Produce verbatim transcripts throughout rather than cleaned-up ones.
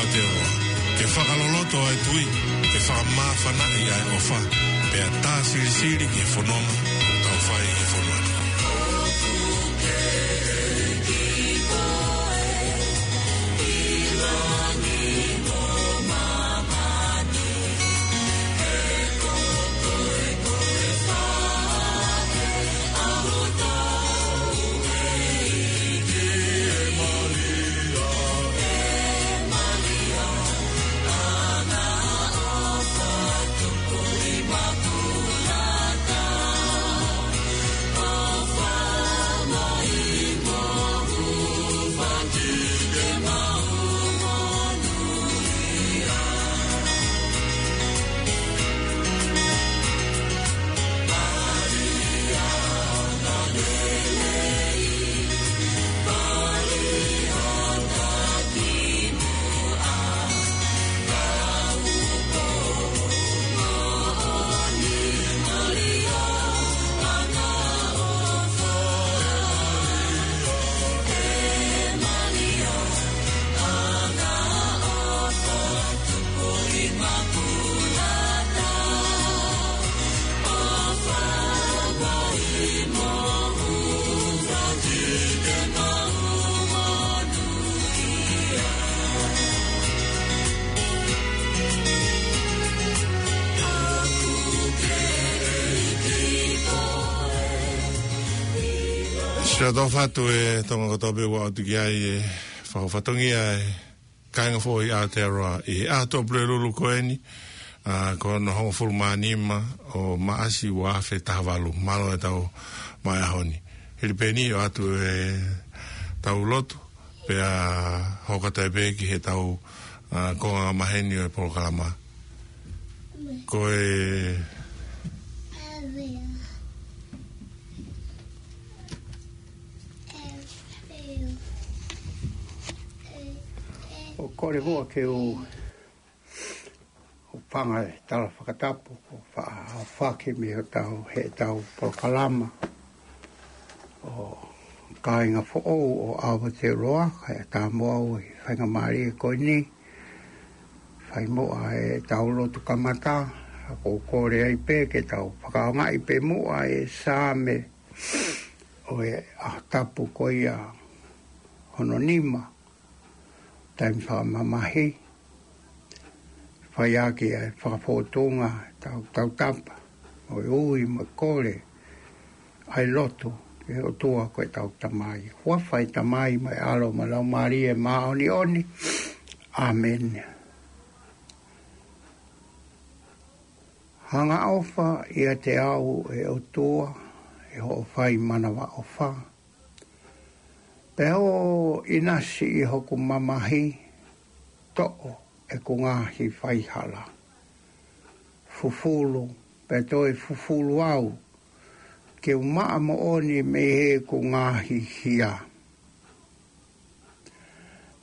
Aotearoa, ke fakaloloto ʻa e tui, ke fakamāfanaʻi ʻa e ʻofa, pea tā silisili ki he fononga ʻoku tau fai ʻi he fonua ni. Siʻa tau fatu e Tonga kotoa pē ʻoku ʻatu ki ai e fakafatongia e kāinga foʻou ʻi Aotearoa ʻi he ʻaho Tuʻapulelulu ko eni, ʻa, ko hono hongofulu mā nima ʻo Maʻasi ua afe taha valu. Mālō e tau mai ʻaho ni. Hili pē eni ʻoatu e tau lotu, pea hoko atu pē ki he tau, ʻa, konga maheni ʻo e polokalama. Ko e ʻOku ou kole muʻa ke u, u hūfanga he tala fakatapu, ʻo fa-, ʻo fakahoko mei hotau, heʻetau polokalama ʻo kāinga foʻou ʻo Aotearoa, kae ʻatā mo au ʻi he faingamālie ko eni. Fai muʻa e tau lotu kamata, ʻa, ʻoku ou kole ai pē ke tau fakaʻaongaʻi pē muʻa e Saame ʻo e ʻaho tapu ko ia hono nima, taimi fakamamahi, fai ʻaki e fakafōtunga, tau, tautapa, mo e ui, mo e kole, ʻa e lotu ki he ʻOtua ko e tau Tamai. Huafa e Tamai mo e ʻAlo mo e Laumālie Māʻoniʻoni. ʻĀmeni. Hanga ʻofa ʻiate au ʻe ʻOtua, ʻi hoʻo fai manavaʻofa. Pea ʻo ʻinasi ʻi hoku mamahi, toʻo ʻeku ngaahi faihala. Fufulu, pea toe fufulu au, ke u maʻa moʻoni mei heʻeku ngaahi hia.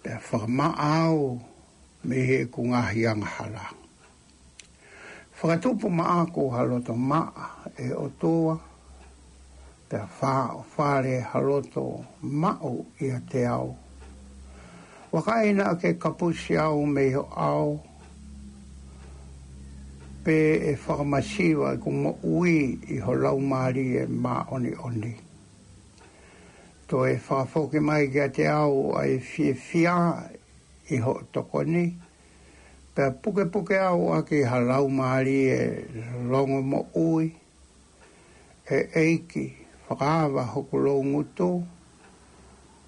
Pea fakamaʻa au mei heʻeku ngaahi angahala. Fakatupu maʻaku ha loto maʻa ʻe ʻOtua, pea fāʻofale ha loto maʻu ʻiate au. Vakai naʻa ke kapusi au mei ho ʻao, pe ʻe fakamasiva ʻeku moʻui ʻi ho Laumālie Māʻoniʻoni. Toe fakafoki mai kiate au ʻa e fiefia ʻi hoʻo tokoni, pea pukepuke au ʻaki ha laumālie longomoʻui, ʻe ʻEiki, fakaava hoku loungutu,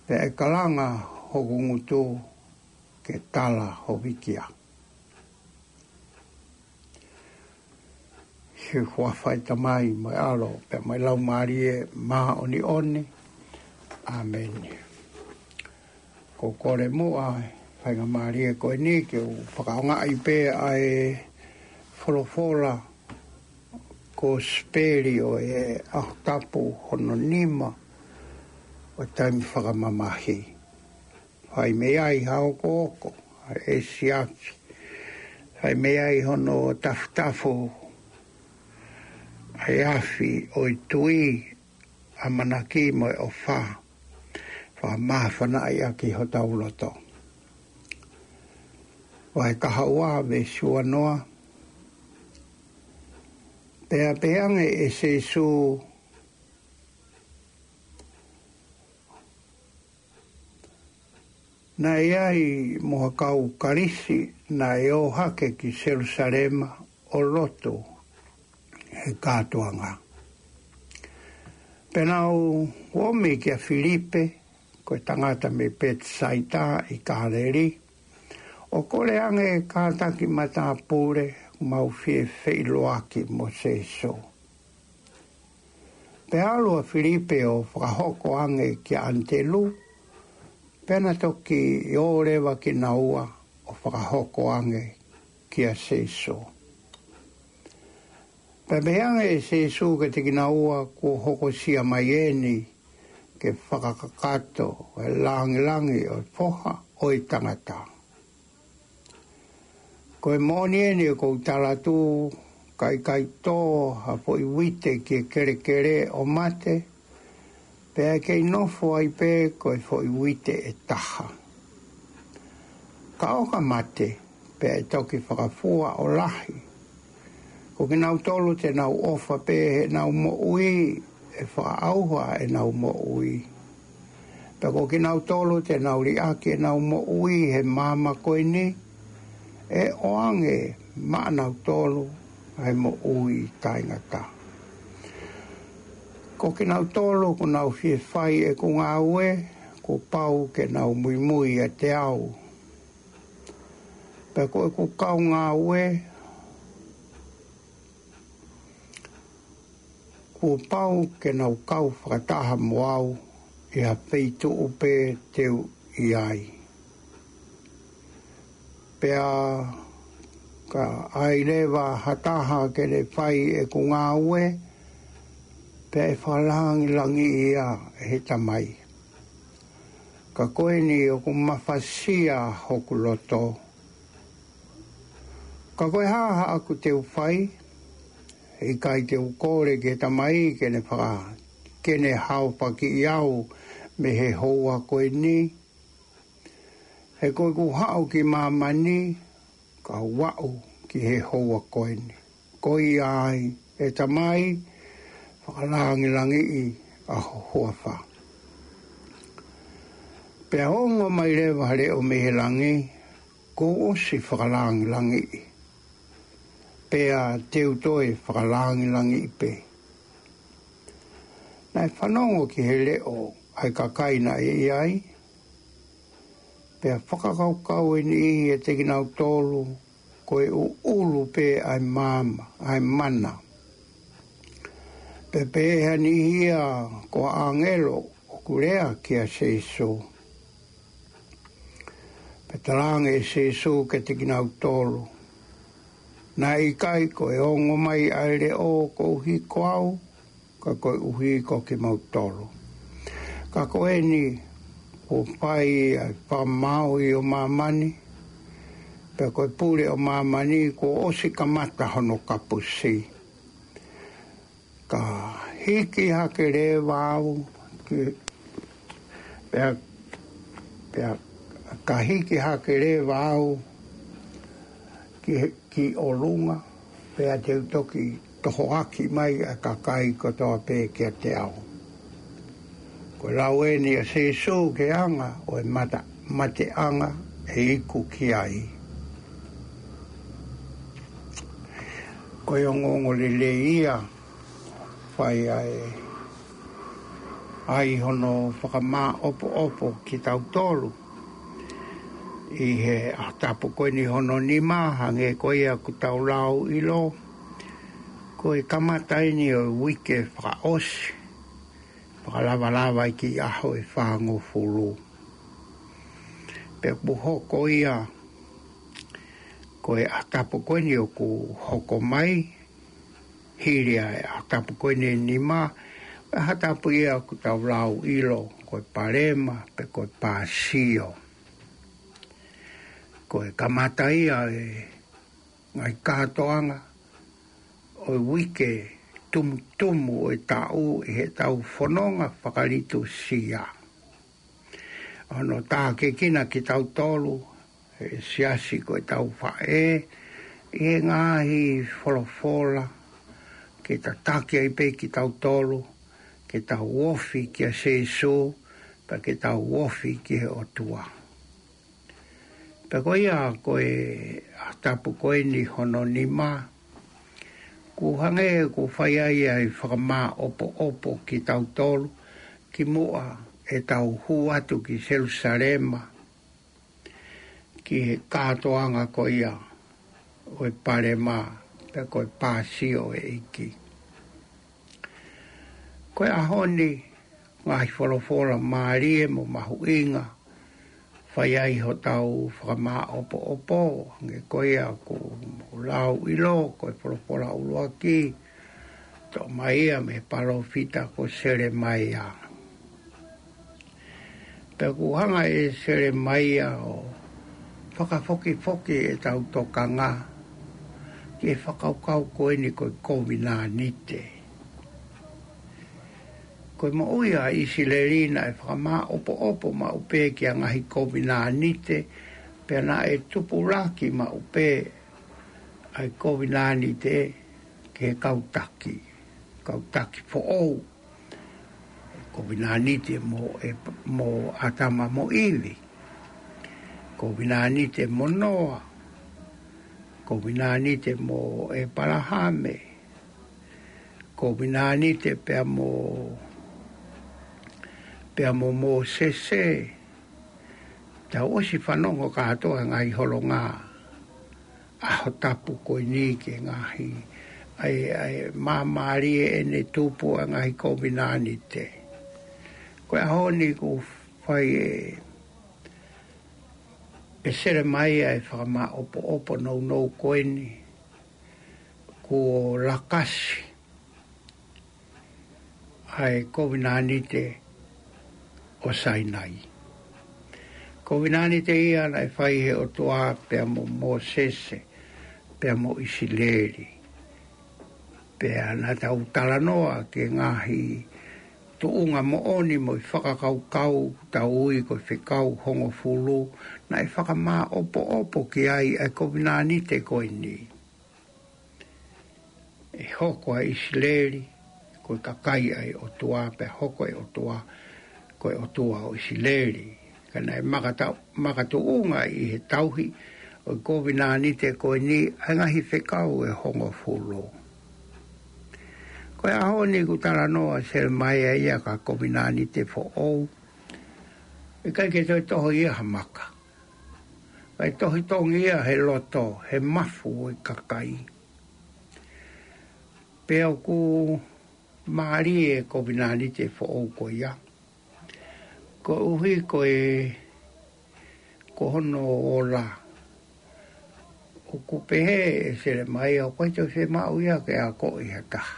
pea ʻe kalanga hoku ngutu ke tala ho vīkia. ʻI he huafa e Tamai mo e ʻAlo, pea mo e Laumālie Māʻoniʻoni. ʻĀmeni. ʻOku ou kole muʻa he faingamālie ko eni ke u fakaʻaongaʻi pē ʻa e folofola kosipeli ʻo e ʻaho tapu hono nima ʻo e taimi fakamamahi. Fai mei ai ha okooko, ha ʻesiafi. Fai mei ai hono tafutafu, ʻa e afi ʻo e tui, ʻamanaki mo e ʻofa. Fakamāfanaʻi ʻaki hotau loto. Vahe kahaʻua, veesi uanoa. Pea pehē ange ʻe Sīsū, naʻe ʻi ai mo ha kau Kalisi naʻe ō hake ki Selūsalema ʻo lotu he kātoanga. Pea nau ōmi kia Filipe, ko e tangata mei Petisaita ʻi Kāleli, ʻo kole ange kātaki matāpule, mau fie feʻiloaki mo Sīsū. Pea ʻalu ʻa Filipe ʻo fakahoko ange kia ʻAnitelū, pea na toki ō leva kinaua ʻo fakahoko ange kia Sīsū. Pea pehē ange ʻe Sīsū kiate kinaua, kuo hokosia mai eni ke fakakakato e lāngilangi ʻo e Foha ʻo e tangata. Ko e moʻoni eni ʻoku ou tala atu, ka ʻikai tō ha foʻi uite ki he kelekele ʻo mate, pea ʻe kei nofo ai pē ko e foʻi uite ʻe taha. Ka ʻo ka mate, pea ʻe toki fakafua ʻo lahi. Ko kinautolu te nau ʻofa pē heʻenau moʻui, ʻe fakaʻauha ʻenau moʻui. Pea ko kinautolu te nau liʻaki ʻenau moʻui he māmani ko eni, ʻe ʻoange maʻanautolu ʻa e moʻui taʻengata. Ko kinautolu ʻoku nau fie fai ʻeku ngāue, kuo pau ke nau muimui ʻiate au. Pea ko ʻeku kau ngāue, kuo pau ke nau kau fakataha mo au ʻi ha feituʻu pē te u ʻi ai. Pea ka ʻai leva ha taha ke ne fai ʻeku ngāue, pea ʻe fakalāngilangiʻi ia ʻe he Tamai. Ka ko eni ʻoku mafasia hoku loto. Ka ko e hā haʻaku te u fai, he ʻikai te u kole ki he Tamai ke ne faka-, ke ne haofakiʻi au mei he houa ko eni. He ko ʻeku haʻu ki māmani, ka u aʻu ki he houa ko eni. Ko ia ai, ʻe Tamai, fakalāngilangiʻi ʻa ho huafa. Pea ongo mai leva ha leʻo mei he langi, kuo u ʻosi fakalāngilangiʻi. Pea te u toe fakalāngilangiʻi pē. Naʻe fanongo ki he leʻo ʻa e kakai naʻe ʻi ai, pea fakakaukau ʻe niʻihi ʻiate kinautolu, ko e ʻuʻulu pē ʻa e maama, ʻa e mana. Pea pehē ʻe niʻihi ia ko ha ʻāngelo ʻoku lea kia Sīsū. Pea talaange ʻe Sīsū kiate kinautolu, naʻe ʻikai ko e ongo mai ʻa e leʻo koeʻuhi ko au, ka koeʻuhi ko kimautolu. Ka ko eni, kuo fai ʻa e fakamaauʻi ʻo māmani, pea ko e pule ʻo māmani kuo ʻosi kamata hono kapusi. Ka hiki hake leva au ki, pea, pea, ka hiki hake leva au ki, ki ʻolunga, pea te u toki tohoaki mai ʻa e kakai kotoa pē kiate au. Ko e lau eni ʻa Sīsū ki he anga ʻo e mata, mateʻanga ʻe iku ki ai. Ko e ongoongo lelei ia, fai ai, ʻai hono fakamāʻopoʻopo kitautolu ʻi he ʻaho tapu ko eni hono nima, hangē ko ia ʻoku tau lau ʻilo, ko e kamata eni ʻo e uike fakaʻosi, fakalavalava ʻi he ʻaho ʻe fāngofulu. Pea kuo hoko ia, ko e ʻaho tapu ko eni ʻoku hoko mai, hili ʻa e ʻaho tapu ko eni ʻe nima, ʻa e ʻaho tapu ia ʻoku tau lau ʻilo, ko e Palema, pe ko e Pāsio. Ko e kamata ia ʻa e ngaahi kātoanga ʻo e uike tumutumu ʻo e taʻu ʻi heʻetau fononga fakalitusia. Hono tākiekina kitautolu, e siasi ko e tau faʻē, ʻi he ngaahi folofola, ke tataki ai pē kitautolu, ke tau ofi kia Sēsū, pea ke tau ofi ki he ʻOtua. Pea ko ia ko e ʻaho tapu ko eni hono nima, kuo hangē kuo fai ai ʻa e fakamāʻopoʻopo kitautolu, kimuʻa ʻetau hū atu ki Selusalema, ki he kātoanga ko ia ʻo e palema, pea ko e pāsio ʻo e ʻEiki. Ko e ʻaho ni, ngaahi folofola mālie mo mahuʻinga, fai ai hotau fakamāʻopoʻopo, hangē ko ia kuo mou lau ʻilo, ko e folofola ʻuluaki, toʻo mai ia mei he palōfita ko Selemaia. Pea kuo hanga ʻe Selemaia ʻo fakafokifoki ʻetau tokanga ki he fakakaukau ko eni ko e kovinānite. Ko e moʻui ʻa ʻIsileli naʻe fakamāʻopoʻopo maʻu pē ki he ngaahi kovinānite, pea naʻe tupulaki maʻu pē ʻa e kovinānite ki he kau taki, kau taki foʻou. Kovinānite mo e, mo ʻĀtama mo ʻIvi. Kovinānite mo Noa. Kovinānite mo ʻĒpalahame. Kovinānite pea mo, pea mo Mōsese. Tau ʻosi fanongo kātoa ngaahi holonga ʻaho tapu ko eni ki he ngaahi, ʻa e, ʻa e māmālie ʻene tupu ʻa e ngaahi kovinānite. Ko e ʻaho ni kuo fai ʻe, ʻe Selemaia ʻa e fakamāʻopoʻopo nounou ko eni, kuo lakasi ʻa e kovinānite ʻo Sainai. Kovinānite ia naʻe fai he ʻOtua pea mo Mōsese, pea mo ʻIsileli. Pea naʻa tau talanoa ki he ngaahi tuʻunga moʻoni mo e fakakaukau tau ui ko e fekau hongofulu, naʻe fakamāʻopoʻopo ki ai ʻa e kovinānite ko eni. ʻE hoko ʻa ʻIsileli ko e kakai ʻa e ʻOtua, pea hoko e ʻOtua ko e ʻOtua ʻo ʻIsileli. Ka naʻe makata-, makatuʻunga ʻi he tauhi ʻo e kovinānite ko eni ʻa e ngaahi fekau ʻe hongofulu. Ko e ʻaho ni kuo talanoa ʻa Selemaia ia ki ha kovinānite foʻou. ʻIkai ke toe toho ia ha maka. Kae tohi tongi ia he loto, he mafu ʻo e kakai. Pea ʻoku mālie e kovinānite foʻou ko ia. Koeʻuhi ko e, ko hono ola. ʻOku pehē ʻe Selemaia ʻoku ʻikai toe fiemaʻu ia ke akoʻi ha taha.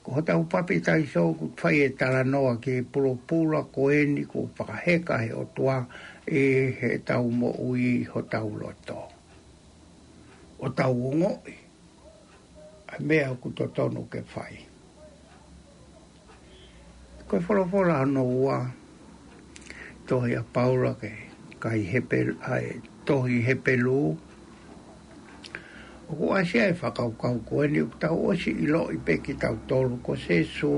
Ko hotau papitaiso ʻoku fai e talanoa ki he pulopula ko eni kuo fakaheka he ʻOtua ʻi heʻetau moʻui, hotau loto. ʻO tau ongoʻi ʻa e meʻa ʻoku totonu ke fai. Ko e folofola hono ua, tohi ʻa Paula ki he kakai Hepel-, ʻa e tohi Hepelū. ʻOku ʻasi ai e fakakaukau ko eni ʻoku tau ʻosi ʻiloʻi pē kitautolu ko Sēsū,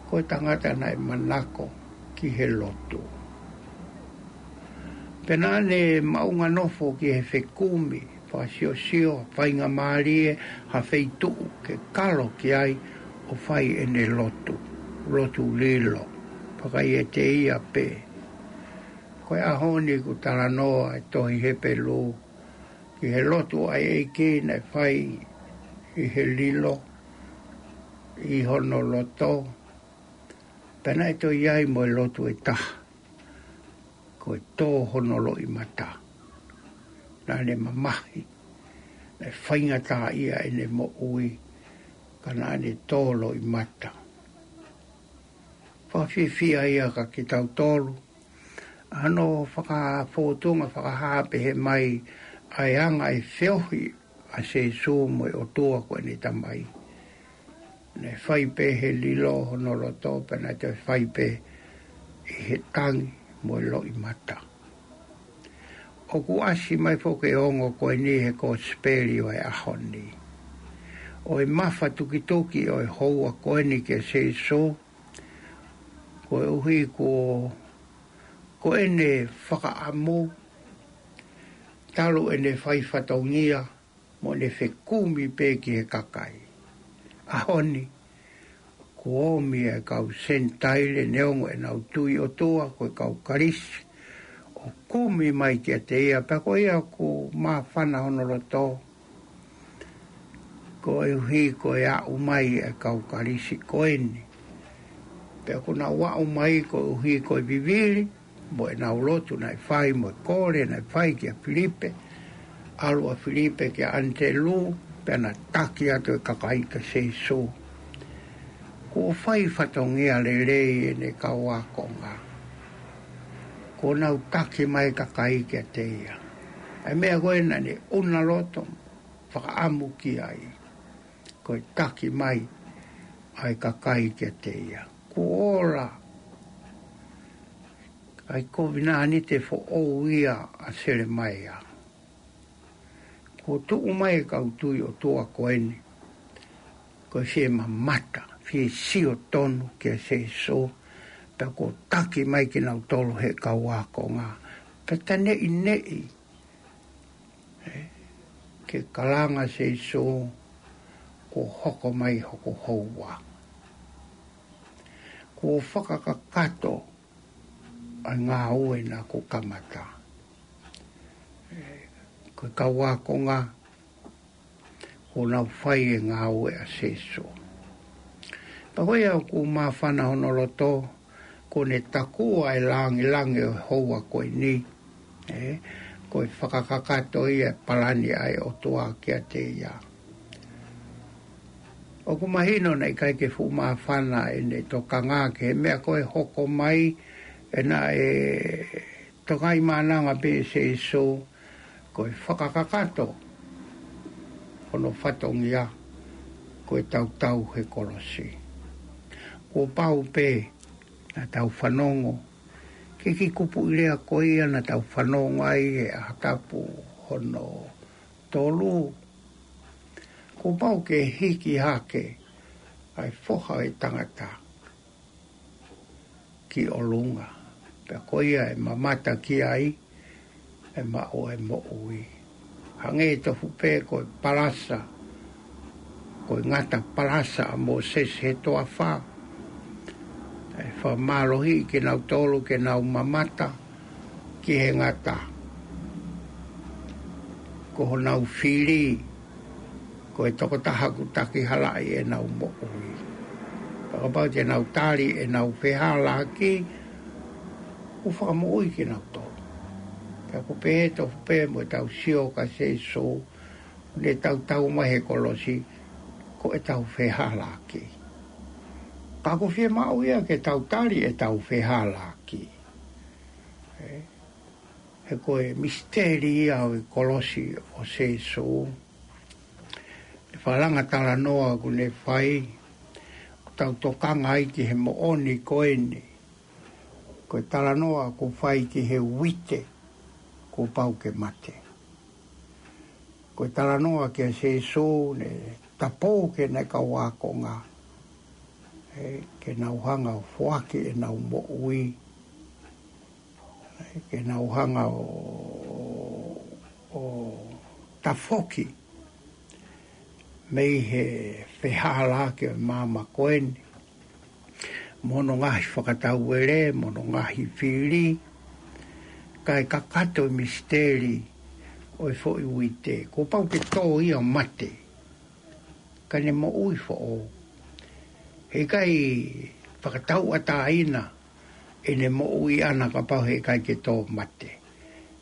ko e tangata naʻe manako ki he lotu. Pea naʻa ne maʻunga nofo ki he fekumi, fakasiosio, faingamālie, ha feituʻu ke kalo ki ai ʻo fai ʻene lotu, lotu lilo, fakaiete ia pē. Ko e ʻaho ni kuo talanoa e tohi Hepelū ki he lotu ʻa e ʻEiki naʻe fai ʻi he lilo, ʻi hono loto, pea naʻe toe ʻi ai mo e lotu ʻe taha, ko e tō hono loʻimata. Naʻa ne mamahi, naʻe faingataʻaʻia ʻene moʻui, ka naʻa ne tō loʻimata. Fakafiefia ia kia kitautolu, ʻa hono fakafōtunga fakahā pehē mai ʻa e anga e feohi ʻa Sēsū mo e ʻOtua ko ʻene Tamai. Naʻe fai pē he lilo hono loto, pea naʻe toe fai pē ʻi he tangi mo e loʻimata. ʻoku ʻasi mai foki e ongo ko eni he kosipeli ʻo e ʻaho ni. ʻO e mafatukituki ʻo e houa ko eni kia Sīsū, koeʻuhi ko, ko ʻene fakaʻamu, talu ʻene fai fatongia, mo ʻene fekumi pē ki he kakai. ʻAho ni, kuo ʻomi e kau Senitaile neongo ʻenau tui ʻOtua ko e kau Kalisi, ʻo kumi mai kiate ia, pea ko ia ʻoku māfana hono loto, koeʻuhi ko e aʻu mai e kau Kalisi ko eni. Pea ʻoku nau aʻu mai koeʻuhi ko e vivili, mo ʻenau lotu naʻe fai, mo e kole naʻe fai kia Filipe, ʻalu ʻa Filipe kia ʻAnitelū, pea na taki atu e kakai kia Sīsū. Kuo fai fatongia lelei ʻene kau ākonga. Kuo nau taki mai kakai kiate ia. ʻA e meʻa ko ē naʻa ne ʻuna loto, fakaʻamu ki ai. Ko e taki mai ʻa e kakai kiate ia. Kuo ola ʻa e kovinānite foʻou ia ʻa Selemaia. Kuo tuʻu mai e kau tui ʻOtua ko eni, ko e fie mamata, fie sio tonu kia Sīsū, pea kuo taki mai kinautolu he kau ākonga. Pea ta neʻineʻi, ē, ke kalanga Sīsū, kuo hoko mai hoku houa. Kuo fakakakato ʻa e ngāue naʻa ku kamata. Ē, ko e kau ākonga, kuo nau fai e ngāue ʻa Sīsū. Pea ko ia ʻoku māfana hono loto, kuo ne takua e langilangi ʻo e houa ko eni. Ē, ko e fakakakato ia e palani ʻa e ʻOtua kiate ia. ʻOku mahino naʻe ʻikai ke fuʻu māfana ʻene tokanga ki he meʻa ko e hoko mai, ʻe naʻe tokangaʻi maʻananga pē ʻe Sīsū, ko e fakakakato hono fatongia, ko e tautau he kolosi. Kuo pau pē naʻa tau fanongo ki he kiʻi kupuʻi lea ko ia naʻa tau fanongo ai he ʻaho tapu hono tolu. Kuo pau ke hiki hake ʻa e Foha ʻo e tangata ki ʻolunga, pea ko ia ʻe mamata ki ai, ʻe maʻu e moʻui. Hangē tofu pē ko e palasa, ko e ngata palasa ʻa Mōsese he toafa, ʻe fakamālohiʻi kinautolu ke nau mamata ki he ngata. Ko honau fili, ko e tokotaha ʻoku takihalaʻi ʻenau moʻui. Pea kapau te nau tali ʻenau fehālaaki, ʻoku fakamoʻui kinautolu. Pea ʻoku pehē tofu pē mo ʻetau sio kia Sīsū, ʻo ne tautau mai he kolosi, ko ʻetau fehālaaki. Ka ʻoku fiemaʻu ia ke tau tali ʻetau fehālaaki. Ē, he ko e misiteli ia ʻo e kolosi ʻo Sīsū. ʻE falanga talanoa ʻoku ne fai, ʻoku tau tokanga ai ki he moʻoni ko eni. Ko e talanoa ʻoku fai ki he uite, kuo pau ke mate. Ko e talanoa kia Sīsū ne tapou ke ne kau ākonga. Ē, ke nau hanga ʻo foaki ʻenau moʻui. Ē, ke nau hanga ʻo, ʻo tafoki mei he fehālaaki ʻo e māmani ko eni. Mo hono ngaahi fakatauele, mo hono ngaahi fili. Kae kakato e misiteli ʻo e foʻi uite. Kuo pau ke tō ia mate. Ka ne moʻui foʻou. Heʻikai fakatauʻatāina ʻene moʻui ʻana kapau heʻikai ke tō mate.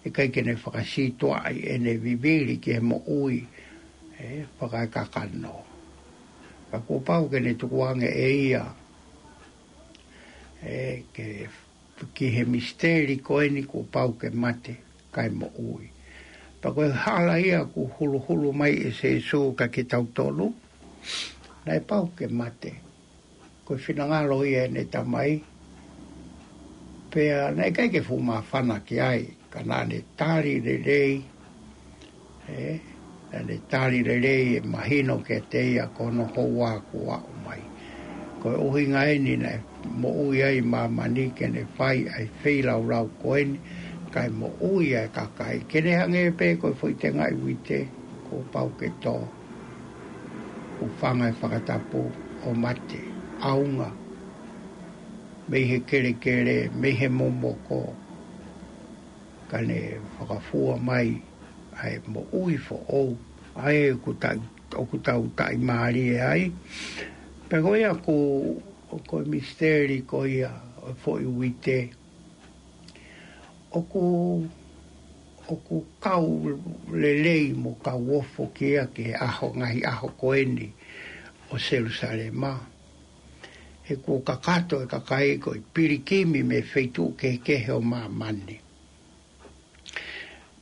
ʻIkai ke ne fakasītuʻaʻi ʻene vivili ki he moʻui, ē, fakaekakano. Ka kuo pau ke ne tukuange ʻe ia, ē, ke, ki he misiteli ko eni kuo pau ke mate, kae moʻui. Pea ko e hala ia ʻoku huluhulu mai ʻe Sīsū kiate kitautolu, naʻe pau ke mate. Ko e finangalo ia ʻene Tamai, pea naʻe ʻikai ke fuʻu māfana ki ai, Ka naʻa ne tali lelei, ē, naʻa ne tali lelei ʻe mahino kiate ia ko hono houa kuo aʻu mai. Ko e ʻuhinga eni naʻe moʻui ai māmani ke ne fai ʻa e feilaulau ko eni, kae moʻui ʻa e kakai. Ke ne hangē pē ko e foʻi tengaʻi uite, kuo pau ke tō, ʻo fanga e fakatapu ʻo mate, ʻaunga, mei he kelekele, mei he momoko, ka ne fakafua mai ʻa e moʻui foʻou, ʻa ē ʻoku tau, ʻoku tau taʻimālie ai. Pea ko ia ʻoku, ko e misiteli ko ia ʻo e foʻi uite, ʻoku, ʻoku kau lelei mo kau ofo ki ai ki he ʻaho, ngaahi ʻaho ko eni ʻo Selusalema. He kuo kakato e kakai ko e pilikimi mei he feituʻu kehekehe ʻo māmani.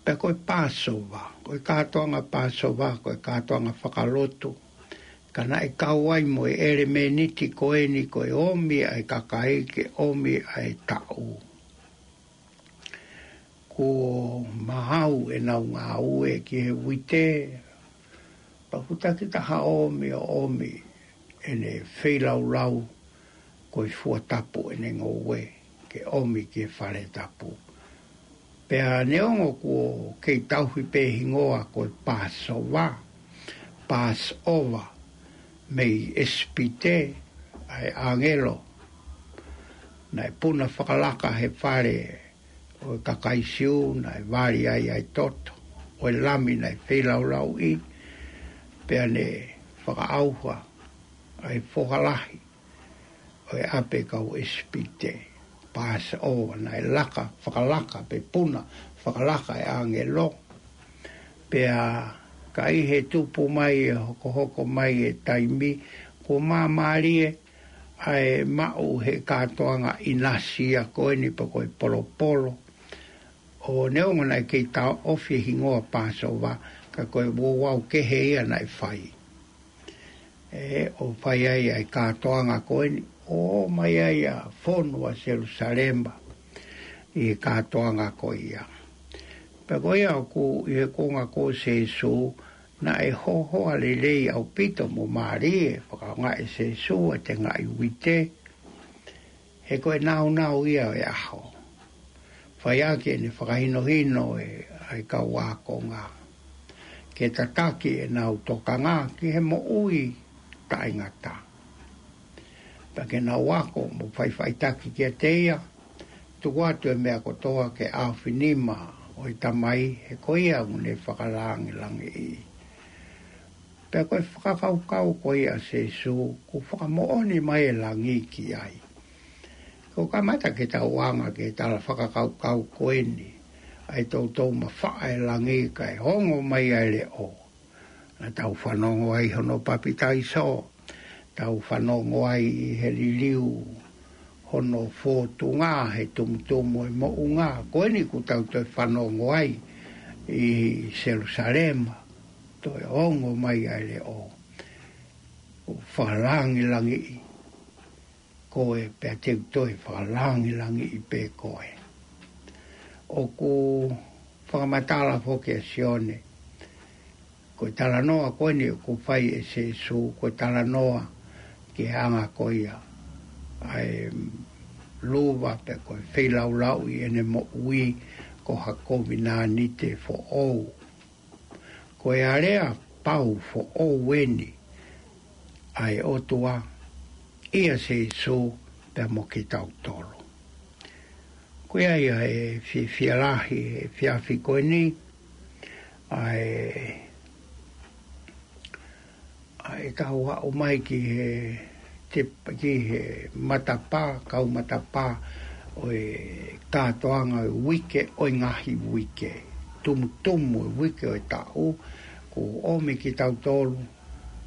Pea ko e Pāsova, ko e kātoanga Pāsova, ko e kātoanga fakalotu. Ka naʻe kau ai mo e ʻelemēniti ko eni ko e ʻomi ʻa e kakai ke ʻomi ʻa e taʻu. Kuo maau ʻenau ngāue ki he uite, pea kuo takitaha ʻomi ʻo ʻomi ʻene feilaulau ko e fua tapu ʻene ngoue ke ʻomi ki he fale tapu. Pea neongo kuo kei tauhi pē hingoa ko e Pāsova, Passover, mei ʻIsipite, ʻa e ʻāngelo naʻe puna fakalaka he fale ʻo e kakai Siu, naʻe vali ai ʻa e toto ʻo e lami naʻe feilaulauʻi, pea ne fakaʻauha ʻa e foha lahi ʻo e ʻapi kau ʻIsipite. Pāsova, naʻe laka fakalaka pe puna fakalaka e ʻāngelo. Pea ka ʻi he tupu mai e hokohoko mai e taimi, kuo māmālie ʻa e maʻu he kātoanga ʻinasi ia ko eni pe ko e polopolo. ʻO neongo naʻe kei taʻofi e hingoa Pāsova, ka ko e ouau kehe ia naʻe fai. ʻE, ʻo fai ai ʻa e kātoanga ko eni, ʻo mai ai ʻa e fonu ʻa Selusalema ʻi he kātoanga ko ia. Pea ko ia ʻoku ʻi he kuonga ko Sēsū, naʻe hohoa lelei ʻaupito mo mālie, fakaʻaongaʻi ʻe Sēsū ʻa e tengaʻi uite, he ko e nāunau ia ʻo e ʻaho. Fai ʻaki ʻene fakahinohino ʻe, ʻa e kau ākonga ke tataki ʻenau tokanga ki he moʻui taʻengata. Pea ke nau ako mo faʻifaʻitaki kiate ia, tuku atu e meʻa kotoa ke ʻaofinima ʻo e Tamai, he ko ia ʻoku ne fakalāngilangiʻi. Pea ko e fakakaukau ko ia ʻa Sēsū, kuo fakamoʻoni mai e langi ki ai. Ko e kamata ke tau anga ke tala fakakaukau ko eni, ʻa e toutou mafaʻa e langi kae ongo mai ʻa e leʻo. Naʻa tau fanongo ai hono papitaiso, tau fanongo ai ʻi he liliu hono fōtunga he tumutumu e moʻunga, ko eni kuo tau toe fanongo ai ʻi Selusalema, toe ongo mai ʻa e leʻo, ʻo fakalāngilangiʻi koe pea te u toe fakalāngilangiʻi pē koe. ʻOku fakamatala foki ʻa Sione, ko e talanoa ko eni ʻoku fai ʻe Sēsū, ko e talanoa ki he anga ko ia ʻa e luva pe ko e feilaulauʻi ʻene moʻui ko ha kovinānite foʻou. Ko e alea pau foʻou eni ʻa e ʻOtua ʻia Sēsū pea mo kitautolu. Ko ia ia e fiefia lahi he efiafi ko eni, ʻa e, ʻa e kau aʻu mai ki he, te, ki he matapā, kau matapā ʻo e kātoanga ʻo e uike ʻo e ngaahi uike. Tumutumu e uike ʻo e taʻu, kuo ʻomi kitautolu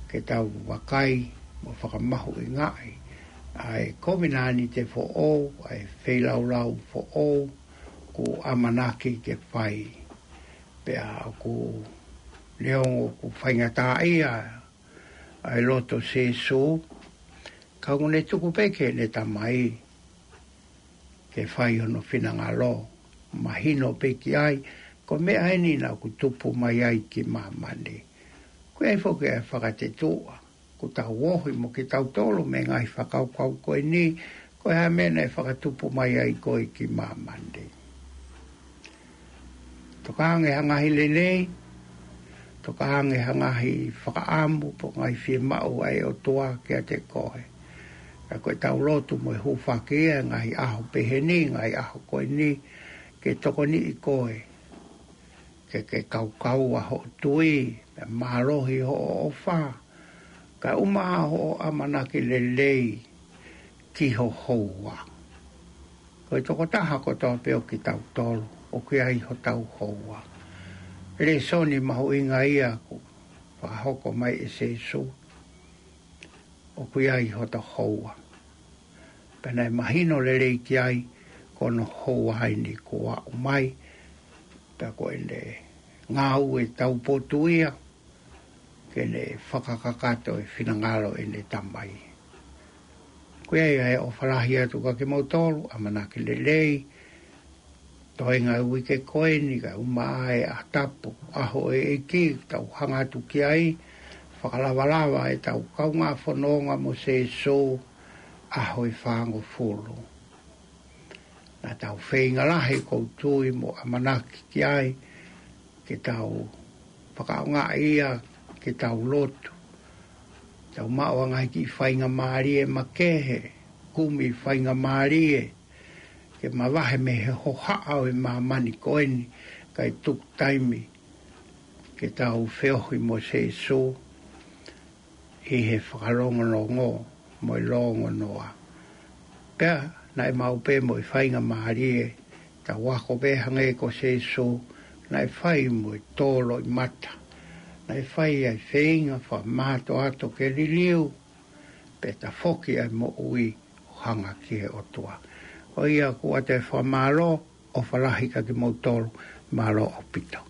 ke tau vakai mo fakamahuʻingaʻi ʻa e kovinānite foʻou, ʻa e feilaulau foʻou, kuo ʻamanaki ke fai. Pea ʻoku neongo ʻoku faingataʻaʻia ʻa e loto Sēsū, ka ʻoku ne tuku pē ki heʻene Tamai ke fai hono finangalo. mahino pē ki ai, ko e meʻa eni naʻa ku tupu mai ai ki māmani. Ko e foki e fakatetuʻa, ko tau ohi mo kitautolu mei he ngaahi fakakaukau ko eni, ko e hā e meʻa naʻe fakatupu mai ai koe ki māmani. Toka ange ha ngaahi lelei, toka ange ha ngaahi fakaʻamu, pe ko e ngaahi fiemaʻu ʻa e ʻOtua kiate koe. Ka ko e tau lotu mo e hūfaki ia, ngaahi ʻaho pehē ni, ngaahi ʻaho ko eni, ke tokoniʻi koe. Ke ke kaukaua hoʻo tui, pea mālohi hoʻo ʻofa. Kae ʻumaʻā hoʻo ʻamanaki lelei ki ho houa. Ko e tokotaha kotoa pē ʻo kitautolu, ʻoku ʻi ai hotau houa. Lēsoni mahuʻinga ia ʻoku fakahoko mai ʻe Sīsū, ʻoku ʻi ai hota houa. Pea naʻe mahino lelei ki ai, ko hono houa eni kuo aʻu mai, pea ko ʻene ngāue taupotu ia, ke ne fakakakato e finangalo ʻene Tamai. Ko ia ia e ʻofa lahi atu kiate kimoutolu, ʻamanaki lelei, toenga e uike ko eni kae ʻumaʻā e ʻaho tapu, ʻaho e ʻEiki, tau hanga atu ki ai, fakalavalava e tau kaungā fononga mo Sīsū, ʻaho e fāngofulu. Naʻa tau feinga lahi ʻoku ou tui mo ʻamanaki ki ai, ke tau fakaʻaongaʻi ia, ke tau lotu. Tau maʻu ʻa e ngaahi kiʻi faingamālie makehe, kumi faingamālie, ke mavahe mei he hohaʻa ʻo e māmani ko eni, kae tuku taimi, ke tau feohi mo Sīsū, ʻi he fakalongolongo mo e longonoa. Pea, naʻe maʻu pē mo e faingamālie, tau ako pē hangē ko Sīsū, naʻe fai mo e tō loʻimata. Naʻe fai ʻa e feinga fakamātoato ke liliu, pea tafoki ʻa e moʻui ʻo hanga ki he ʻOtua. Ko ia ʻoku ʻoatu e fakamālō, ʻofa lahi kiate kimoutolu, mālō ʻaupito.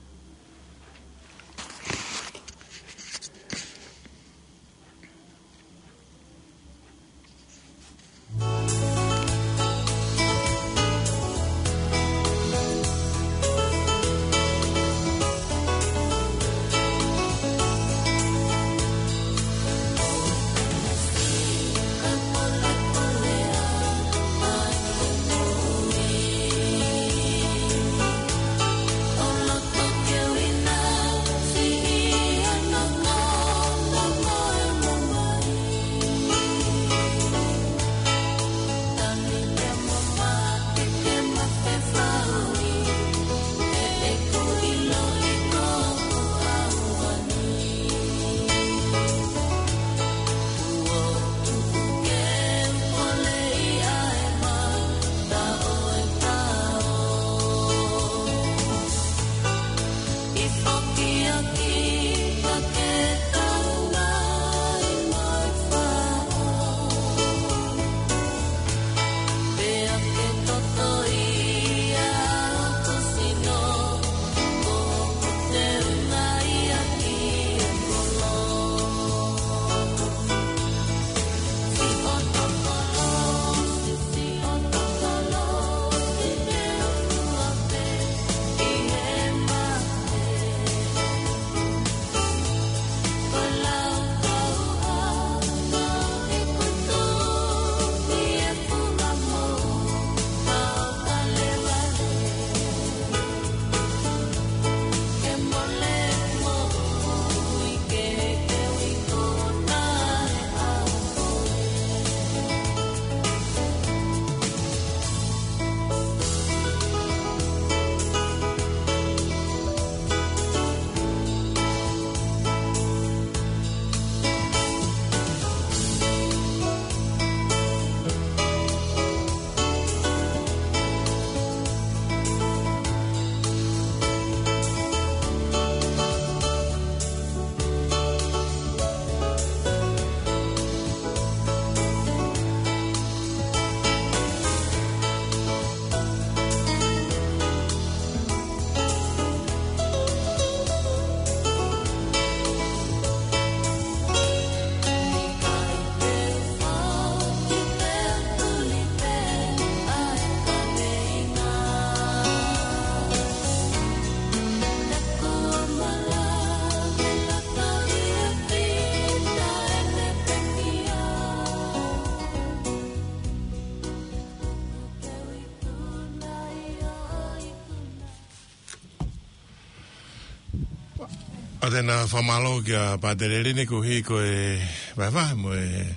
ʻOku ou fakamālō kia Pātele Lini koeʻuhi ko e vahevahe mo e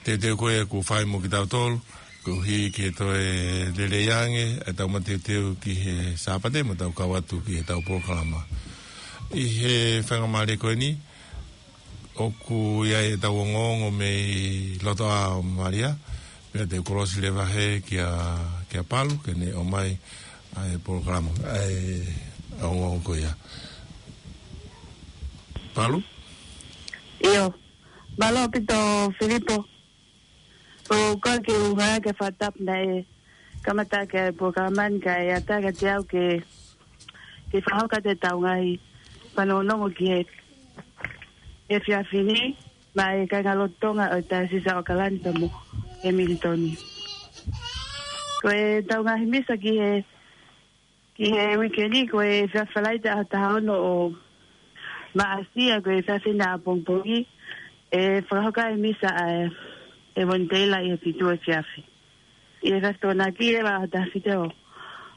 teuteu ko ē kuo fai mo kitautolu, koeʻuhi ke toe lelei ange ʻetau mateuteu ki he Sāpate mo ʻetau kau atu ki heʻetau polokalama. ʻI he faingamālie ko eni, ʻoku ʻi ai ʻetau ongoongo mei loto ʻa Malia, pea te u kolosi leva heni kia, kia Palu, ke ne ʻomai ʻa e polokalama, ʻa e ongoongo ko ia. Palu? ʻIo, mālō ʻaupito Filipo. ʻOku ou kole ke u hanga ke fakatapu naʻe kamata ʻaki ʻa e polokalama ni kae ʻatā kiate au ke, ke fakahoko atu ʻetau ngaahi fanongonongo ki he, he efiafi ni, maʻa e kāingalotu Tonga ʻo e Taiosisi ʻo ʻAokalani pea mo Hemilitoni. Ko ʻetau ngaahi misa ki he, ki he uike ni, ko e efiafi Falaite ʻaho taha ono ʻo Maʻasi, ʻa ia ko e efiafi ni ʻapongipongi, ʻe fakahoko ai e misa ʻa e, ʻa e Evanelia ʻi he fitu efiafi. ʻI he efiafi Tokonaki ʻe ʻaho taha fitu ʻo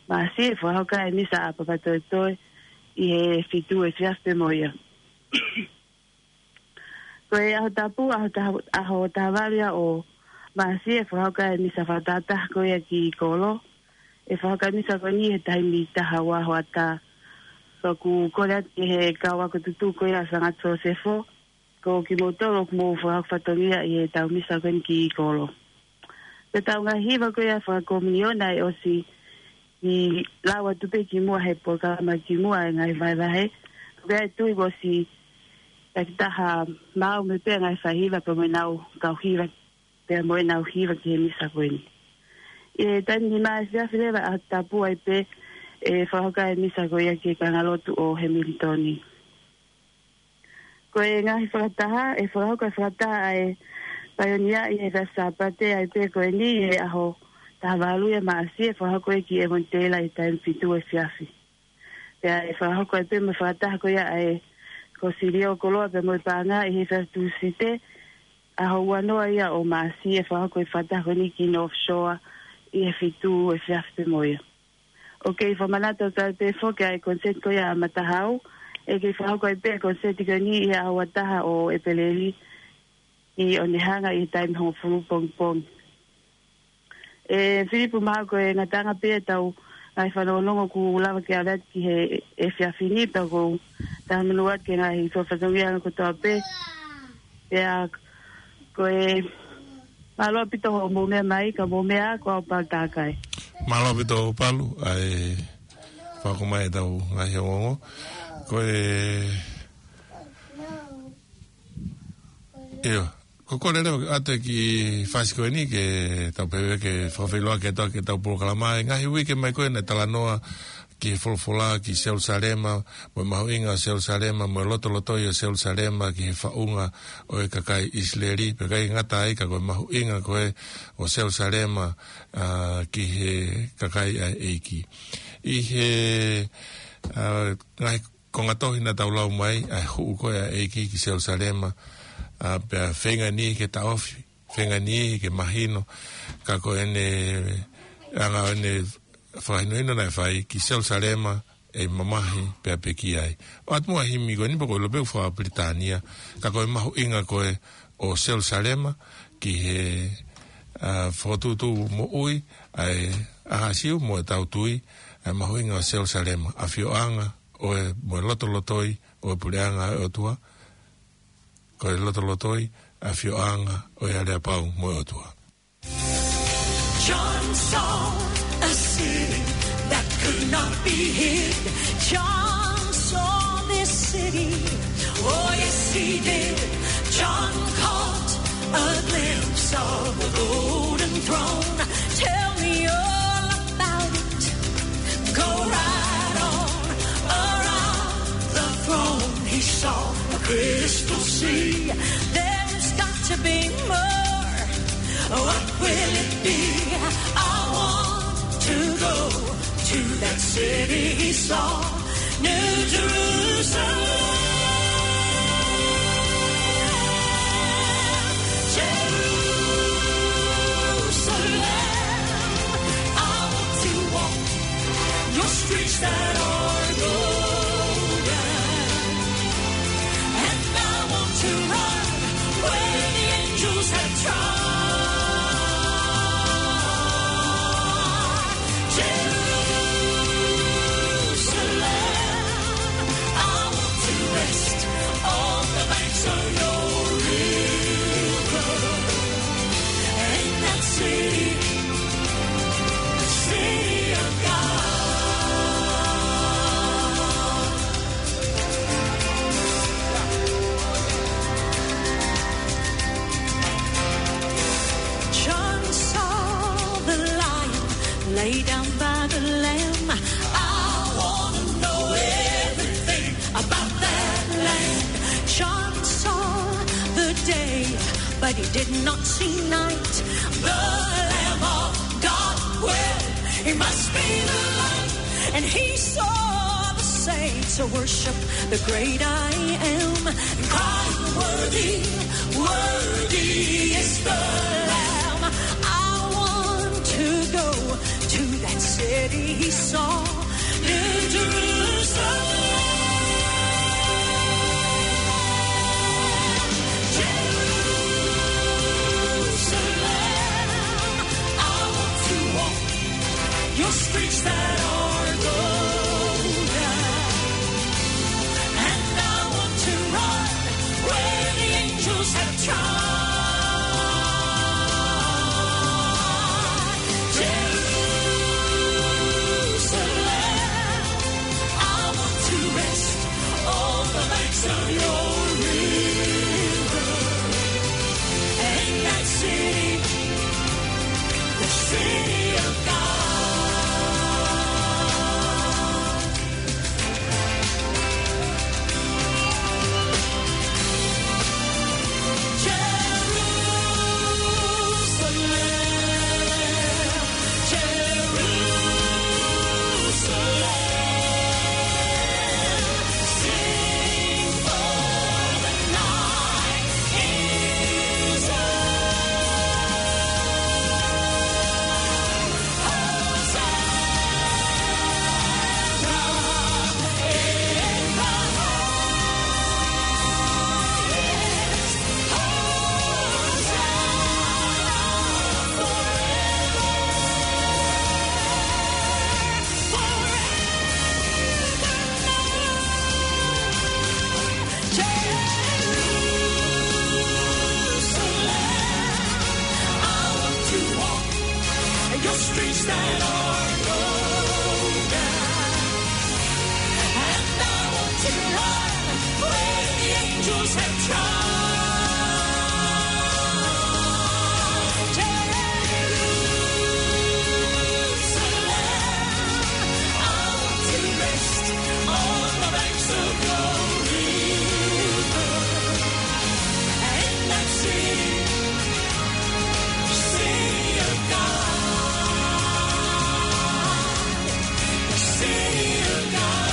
Maʻasi, ʻe fakahoko ai e misa ʻa Papatoetoe ʻi he fitu efiafi pē mo ia. Ko e ʻaho tapu, ʻaho taha, ʻaho taha valu ia ʻo Maʻasi, ʻe fakahoko ai e misa fakatahataha ko ia ki kolo. ʻE fakahoko ai e misa ko eni he taimi taha ua hoʻatā. Pea ʻoku kole atu ki he kau ako tutuku ko ia ʻa Sangata Sosefo, ko kimoutolu ʻoku mou fakahoko fatongia ʻi heʻetau misa ko eni ki kolo. Ko ʻetau ngaahi hiva ko ia fakakominiona ʻe ʻosi ʻi lau atu pē kimuʻa he polokalama kimuʻa ʻa e ngaahi vahevahe. Ko ia ʻe tui kuo ʻosi takitaha maʻu mai pē ʻa e ngaahi faihiva pea mo ʻenau kau hiva, pea mo ʻenau hiva ki he misa ko eni. ʻI he taimi nima efiafi leva ʻaho tapu ai pē ʻe fakahoko ai e misa ko ia ki he kāingalotu ʻo Hemilitoni. Ko e ngaahi fakataha, ʻe fakahoko e fakataha ʻa e Paionia ʻi he efiafi Sāpate ai pē ko eni ʻi he ʻaho taha valu ia Maʻasi, ʻe fakahoko ia ki Evanelia ʻi he taimi fitu efiafi. Pea ʻe fakahoko ai pē mo e fakataha ko ia ʻa e Kōsilio Koloa pea mo e Paʻanga ʻi he efiafi Tūsite, ʻaho ua noa ia ʻo Maʻasi, ʻe fakahoko e fakataha ko eni ki North Shore ʻi he fitu efiafi pē mo ia. ʻOku kei fakamanatu atu pē foki ʻa e koniseti ko ia ʻa Matahau, ʻe kei fakahoko ai pē koniseti ko eni ʻi he ʻaho ua taha ʻo ʻEpeleli ʻi ʻOnehunga ʻi he taimi hongofulu pongipongi. ʻE Filipo, mahalo ko e ngataʻanga pē ia ʻetau ngaahi fanongonongo ʻoku lava ke ʻave atu ki he efiafi ni, pea ʻoku ou talamonū atu ki he ngaahi fatongia kotoa pē. Pea ko e mālō ʻaupito hoʻomou meʻa mai, ka mou meʻa ā, ko au Palu Takai. Mālō ʻaupito Palu, ʻa e fakahoko mai ʻetau ngaahi ongoongo. Ko e, ʻio, ko e kole leva atu ki he fasi ko eni ke tau pehē ke fakafeʻiloaki atu ki heʻetau polokalama ʻi he ngaahi uike mai ko ē naʻe talanoa ki he folofola ki Selusalema, mo e mahuʻinga ʻo Selusalema, mo e lotolotoi ʻo Selusalema ki he faʻunga ʻo e kakai ʻIsileli, pea ʻikai ngata ai ka ko e mahuʻinga ko ē ʻo Selusalema, ā, ki he kakai ʻa e ʻEiki. ʻI he, ā, ngaahi konga tohi naʻa tau lau mai, ʻa e hū ko ē ʻa e ʻEiki ki Selusalema, ā, pea feinga ni ke taʻofi, feinga ni ke mahino, ka ko ʻene anga ʻo ʻene fakahinohino naʻe fai ki Selusalema ʻe mamahi pea pekia ai. ʻOatu muʻa e himi ko eni pea ko e ʻilo pē ʻoku faka-Pilitānia, ka ko e mahuʻinga ko ē ʻo Selusalema ki he, ā, fokotuʻutuʻu moʻui ʻa e ʻAhasiu mo ʻetau tui, ʻa e mahuʻinga ʻo Selusalema, ʻafioʻanga ʻo e, mo e lotolotoi ʻo e Puleʻanga ʻo e ʻOtua, ko e lotolotoi, ʻafioʻanga ʻo e aleapau mo e ʻOtua. John saw a city that could not be hid. John saw this city. Oh, yes, he did. John caught a glimpse of the golden throne. Tell me all about it. Go right on around the throne. He saw a crystal sea. There's got to be more. What will it be? I want to go to that city he saw, New Jerusalem. Jerusalem, I want to walk your streets that are golden. He did not see night. The Lamb of God, well, he must be the light. And he saw the saints worship the great I am, and cried, "Worthy, worthy is the Lamb." I want to go to that city he saw, New Jerusalem. Jerusalem, I want to walk your streets that are golden. And I want to run where the angels have trod. Jerusalem, I want to rest on the banks of your river. And that city, the city of God. Jerusalem, I want to walk your streets that are golden. And I want to run where the angels have trod. Jerusalem, I want to rest on the banks of your river. And that city, city of God, the city of God,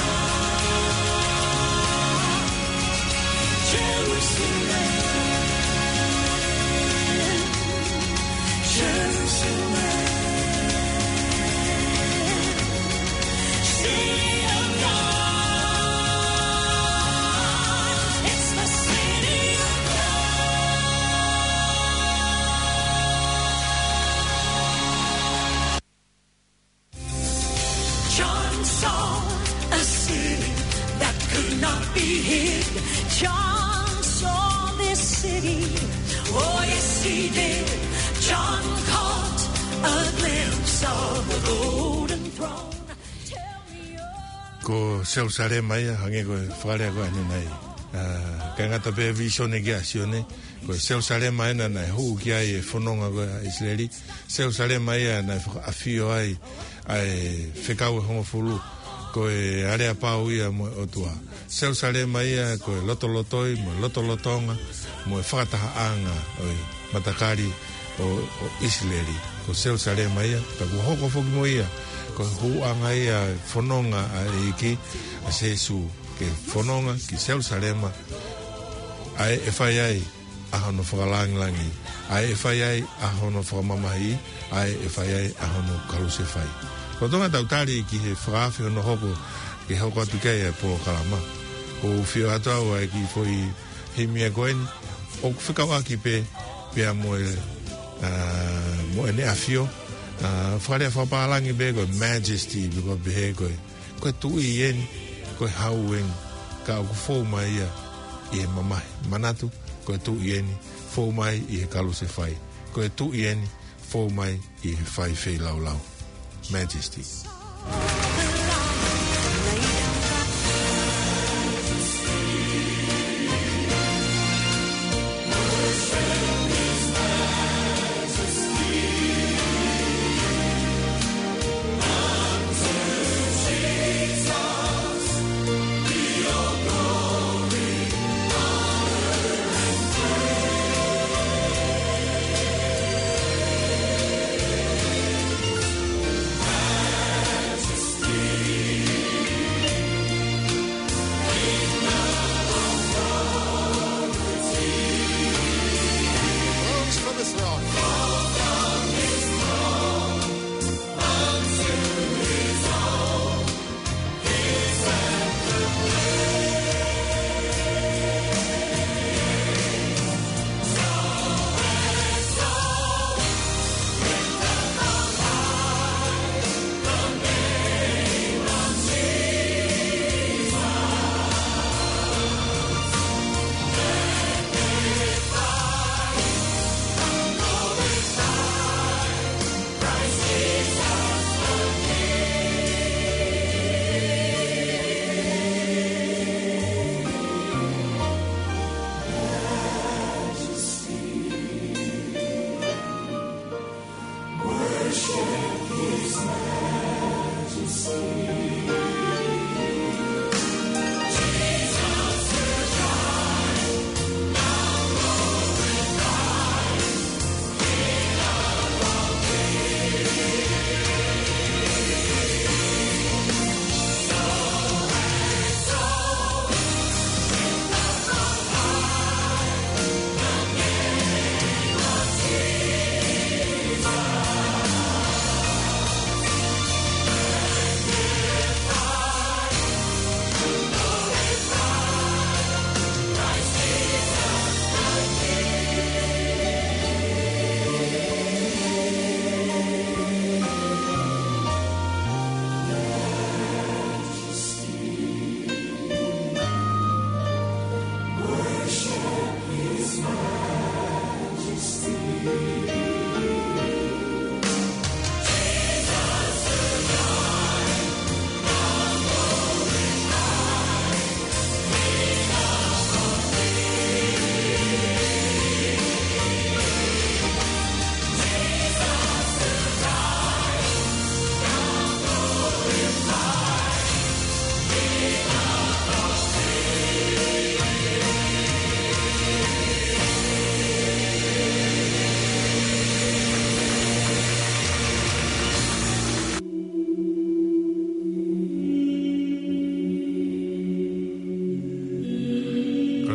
Jerusalem, Jerusalem, city of God, it's the city of God. John saw a city that could not be hid. John saw this city. Oh, yes, he did. John caught a glimpse of the golden throne. Tell me your Ko Selusalema ia, hangē ko e fakalea ko eni nai. ʻA, ʻikai ngata pē vīsone kia Sione, ko Selusalema ena naʻe hū ki ai e fononga ko ē ʻa ʻIsileli. Selusalema ia naʻe fakaʻafio ai ʻa e Fekau ʻe Hongofulu, ko e aleapau ia mo e ʻOtua. Selusalema ia ko e lotolotoi mo e lotolotonga mo e fakatahaʻanga ʻo e matakali ʻo, ʻo ʻIsileli. Ko Selusalema ia, pea kuo hoko foki mo ia ko e hūʻanga ia e fononga ʻa e ʻEiki, ʻa Sīsū, ke fononga ki Selusalema, ʻa ē ʻe fai ai ʻa hono fakalangilangi, ʻa ē ʻe fai ai ʻa hono fakamamahi, ʻa ē ʻe fai ai ʻa hono kalusefai. Ko e ʻuhinga ʻetau tali ki he fakaafe hono hoko, ke hoko atu ki ai e polokalama, ʻoku ou fio atu au ʻa e kiʻi foʻi himi ko eni, ʻoku fekauʻaki pē, pea mo e, ʻa, mo ʻene ʻafio, ʻa, fakalea fakapālangi pē ko e majesty, pea ko e pehē ko e, ko e tuʻi eni, ko e hau eni, ka ʻoku fou mai ia ʻi he mamahi. Manatu, ko e tuʻi eni, fou mai ʻi he kalusefai. Ko e tuʻi eni, fou mai ʻi he fai feilaulau. Majesty.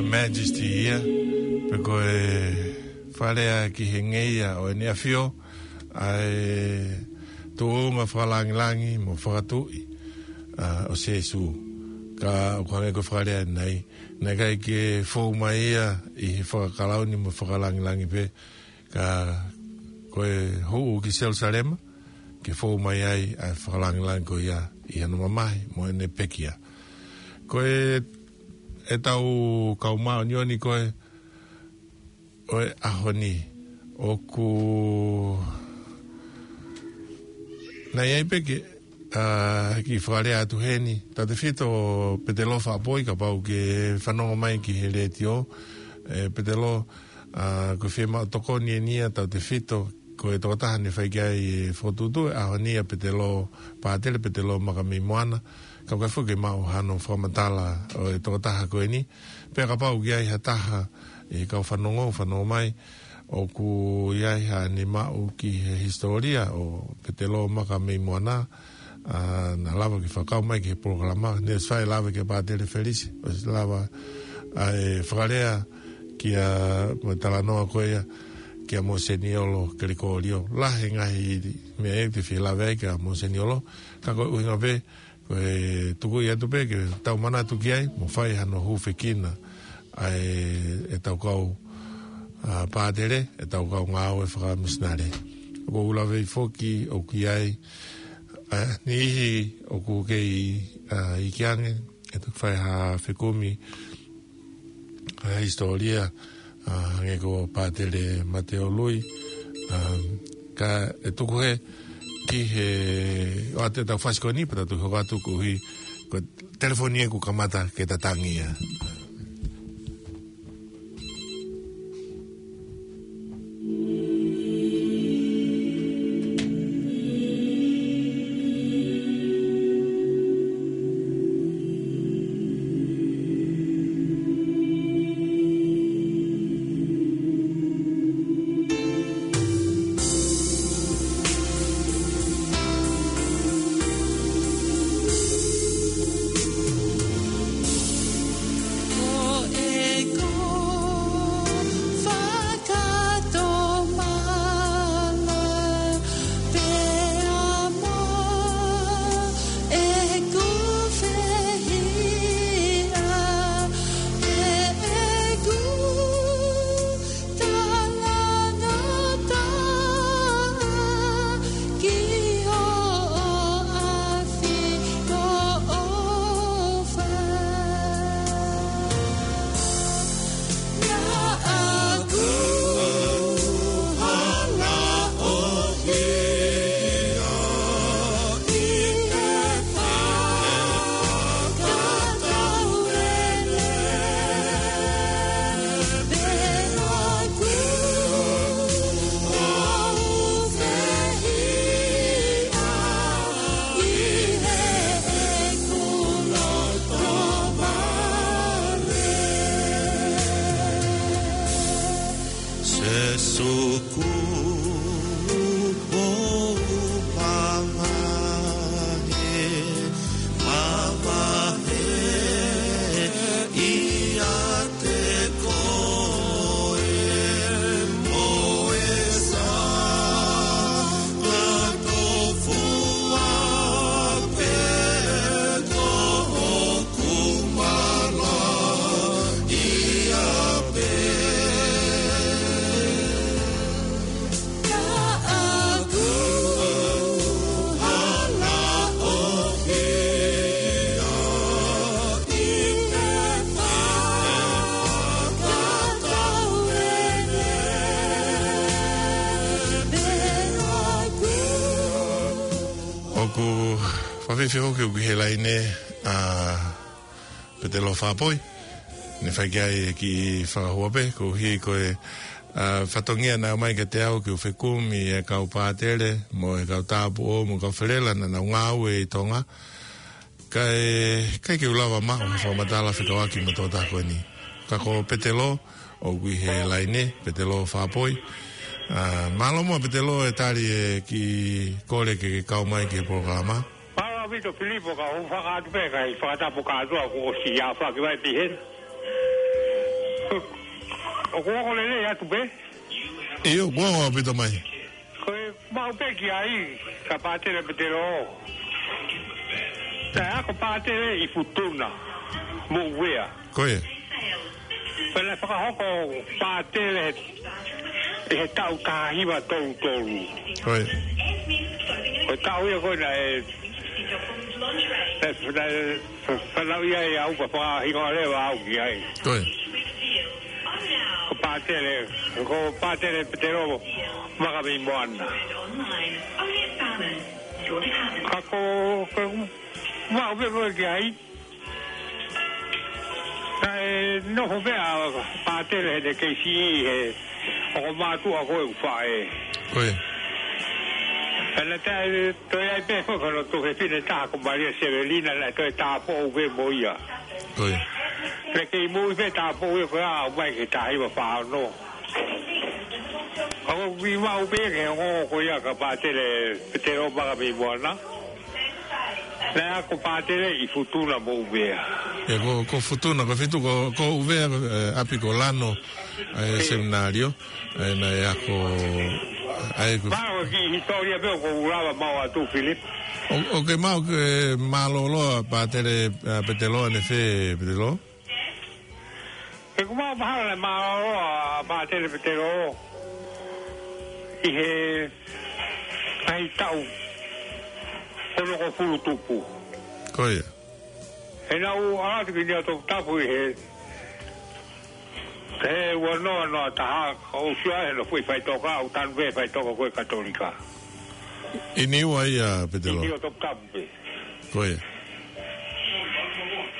Majesty ia, pe ko e fakalea ki he ngeia ʻo ʻEne ʻAfio, ʻa e tuʻunga fakalangilangi mo fakatuʻi, ʻa, ʻo Sīsū. Ka ʻoku hangē ko e fakalea ʻanenai, naʻe ʻikai ke fou mai ia ʻi he fakakalauni mo fakalangilangi pē, ka ko e hū ki Selūsalema, ke fou mai ai ʻa e fakalangilangi ko ia ʻi hono mamahi mo ʻene pekia. Ko e, ʻetau kau māʻoniʻoni ko ē ʻo e ʻaho ni, ʻoku, naʻe ʻi ai pē ke, ʻa, ki fakalea atu heni, tautefito Petelō Faʻapoi, kapau ʻoku ke fanongo mai ki he letiō, ʻe Petelō, ʻa, ʻoku fiemaʻu tokoni eni ia, tautefito, ko e tokotaha naʻe fai ki ai e fokotuʻutuʻu ʻo e ʻaho ni ʻa Petelō, Pātele Petelō Makameimoana, ka ʻoku ʻikai foki ke maʻu hano fakamatala ʻo e tokotaha ko eni, pea kapau ʻoku ʻi ai ha taha ʻi he kau fanongo, fanongo mai, ʻoku ʻi ai haʻane maʻu ki he hisitōlia ʻo Petelō Makameimoana, ʻa, naʻa lava ke fakakau mai ki he polokalama, naʻe ʻosi fai e lave kia Pātele Felisi, ʻosi lava ʻa e fakalea kia, mo e talanoa ko ia, kia Mōseniolo Kelikōlio. Lahi e ngaahi meʻa ʻe te fie lave ai kia Mōseniolo, ka ko e ʻuhinga pē, ko e tuku ia atu pē ke tau manatu ki ai, mo fai hano hūfekina ʻa e, ʻetau kau, ʻa, pātele, ʻetau kau ngāue fakamisinale. ʻOku ou lave foki ʻoku ʻi ai, ʻa, niʻihi ʻoku kei, ʻa, iiki ange, ʻe toki fai ha fekumi, ʻa, hisitōlia, ʻa, hangē ko Pātele Mateo Lui, ʻa, ka ʻe tuku hē ki he, ʻoatu ʻetau fasi ko eni, pea tau toki hoko atu koeʻuhi, ko e telefoni ʻoku kamata ke tatangi ia. ʻOku fakafiefia foki ʻoku ʻi he laine ʻa Petelō Faʻapoi. Naʻe fai ki ai e kiʻi fakahua pē, koeʻuhi ko e, ʻa, fatongia naʻe ʻomai kiate au ke u fekumi e kau pātele, mo e kau tāupoʻou, mo e kau felela naʻa nau ngāue ʻi Tonga. Kae, ʻikai ke u lava maʻu ha fakamatala fekauʻaki mo e tokotaha ko eni. Ka ko Petelō, ʻoku ʻi he laine, Petelō Faʻapoi. ʻA, mālō muʻa Petelō e tali e kiʻi kole ke ke kau mai ki he polokalama. Mālō ʻaupito Filipo, ka u fakatapu pē, kae fakatapu kātoa kuo ʻosi ʻa faki vai pihena. ʻOku ongo lelei atu pē? ʻIo, ʻoku ongo ʻaupito mai. Ko e maʻu pē ki ai, ka Pātele Petelo. Naʻe ako Pātele ʻi Futuna mo Uvea. Ko ia. Pea naʻe fakahoko Pātele ʻi he taʻu taha hiva tolu tolu. Ko ia. Ko e taʻu ia ko ē naʻe, naʻe, naʻe, naʻe fanauʻi ai au pea fakahingoa leva au ki ai. Ko ia. Ko Pātele, ko Pātele Petelo Maka mei Moana. Ka ko, ko maʻu pē ko ē ki ai. Naʻe nofo pē ʻa Pātele heʻene kei siʻi he ongo mātuʻa ko ē ʻoku faʻē. Ko ia. Pea naʻe toe ai pē foki hono tuofefine ʻe taha ko Malia Sevelina, naʻe toe tāupoʻou pē mo ia. Ko ia. Naʻe kei moʻui pē tāupoʻou ia ko ia ʻo aʻu mai ki he taha hiva fā ono. Ka ko e kiʻi maʻu pē ki he ongo ko ia ka Pātele Petelo Maka mei Moana. Naʻe ako Pātele ʻi Futuna mo Uvea. Ia ko, ko Futuna, ko Fitu, ko, ko Uvea, eh, ʻapi ko Lano, eh, seminalio, eh, naʻe ako, ai ko. Mālō ki he hisitōlia pē ʻoku ou lava maʻu atu, Philip. ʻO, ʻoku ke maʻu ke mālōlō ʻa Pātele, eh, Petelo, ʻanefē Petelo? He ʻoku ou mahalo naʻe mālōlō ʻa Pātele Petelo ʻi he ngaahi taʻu onongofulu tupu. Ko ia. He naʻa ku ʻalu atu ki Niuatoputapu ʻi he, he ua noa noa taha, ka u sio ai hono foʻi faʻitoka, ʻoku tanu pē faʻitoka ko ē Katolika. ʻI Niua ia, Petelo? ʻI Niuatoputapu pē. Ko ia.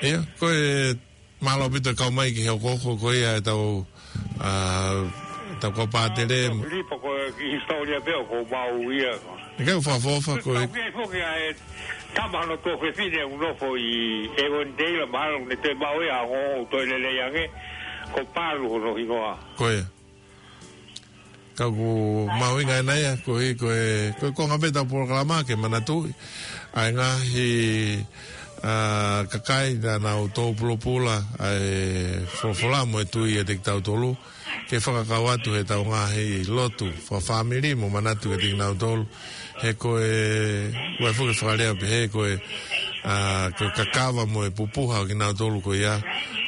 Ia, ko e Mālō ʻaupito e kau mai ki he ʻokoʻoko ko ia ʻetau, ʻa, ʻetau kau Pātele. Filipo, ko e kiʻi hisitōlia pē ʻoku ou maʻu ia. ʻIkai ke u fakaʻofoʻofa ko e. Kau pē foki ʻa e tama hono tuofefine ʻoku nofo ʻi Avondale, mahalo ne toe maʻu ia ʻo toe lelei ange, ko Palu hono hingoa. Ko ia. Ka ʻoku mahuʻinga ʻena ia, koeʻuhi ko e, ko e konga pē ʻetau polokalama ke manatuʻi ʻa e ngaahi, ʻa, kakai naʻa nau tō pulopula ʻa e folofola mo e tui ʻiate kitautolu, ke fakakau atu heʻetau ngaahi lotu fakafāmili mo manatu kiate kinautolu. He ko e, ʻoku ʻi ai foki e fakalea pehē ko e, ʻa, ko e kakava mo e pupuha ʻo kinautolu ko ia,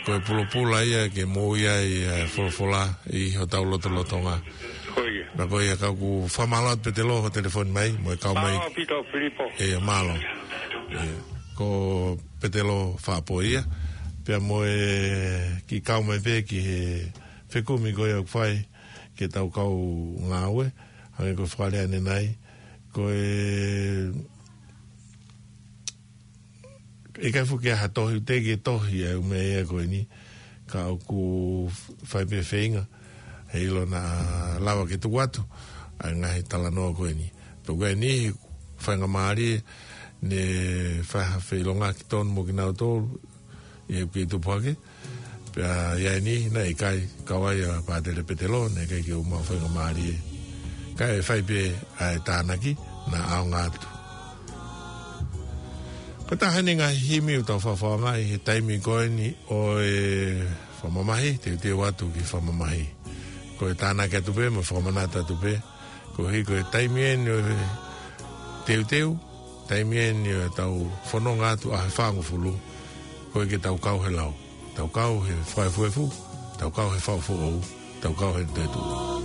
ko e pulopula ia ke moʻui ai ʻa e folofola ʻi hotau lotolotonga. Ko ia. Pea ko ia ka ʻoku fakamālō atu Petelo hoʻo telefoni mai, mo e kau mai. Mālō ʻaupito Filipo. ʻIo, mālō. ʻIo, ko Petelo Faʻapoia. Pea mo e kiʻi kau mai pē ki he fekumi ko ia ʻoku fai ki heʻetau kau ngāue, hangē ko e fakalea ʻanenai, ko e, ʻikai foki ha tohi, teʻeki ke tohi ʻa e ʻū meʻa ia ko eni, ka ʻoku fai pē feinga, heiʻilo naʻa lava ke tuku atu ʻa e ngaahi talanoa ko eni. Pea ko eni, faingamālie, ne fai ha feʻilongaki tonu mo kinautolu, ʻi he kiʻi tupu hake. Pea ʻi ai niʻihi naʻe ʻikai kau ai ʻa Pātele Petelo, naʻe ʻikai ke u maʻu faingamālie. Kae fai pē ʻa e tānaki naʻa ʻaonga atu. Ko e taha eni e ngaahi himi ʻoku tau fakaʻaongaʻi he taimi ko eni ʻo e fakamamahi, teuteu atu ki he fakamamahi. Ko e tānaki atu pē, mo e fakamanatu atu pē, koeʻuhi ko e taimi eni ʻo e teuteu, taimi eni ʻo ʻetau fononga atu ʻaho ʻe fāngofulu, ko e ke tau kau he lau, tau kau he fakaefuefu, tau kau he faʻu foʻou, tau kau he toetuʻu.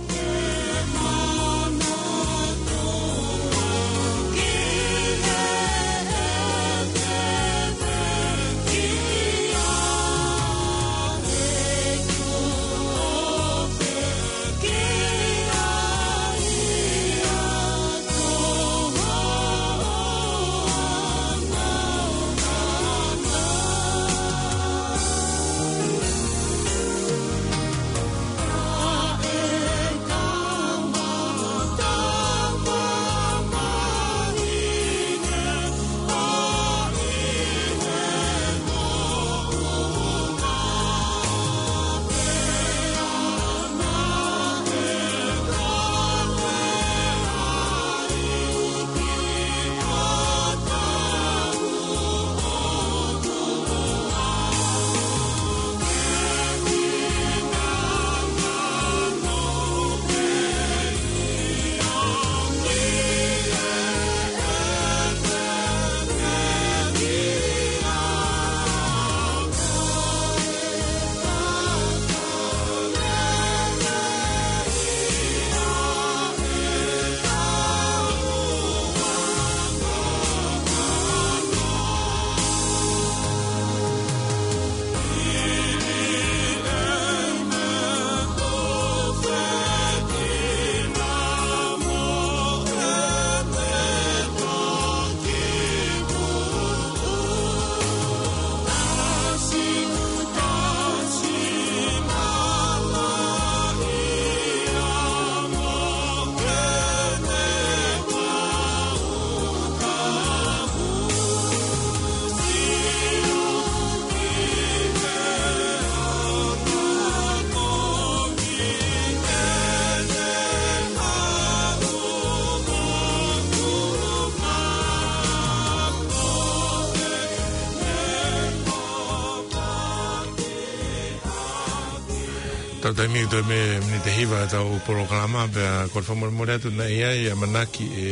Tau taimi ʻi he toe mei he miniti ʻe hiva ʻetau polokalama, pea ko e fakamolemole atu naʻe ʻi ai ʻa e ʻamanaki ʻe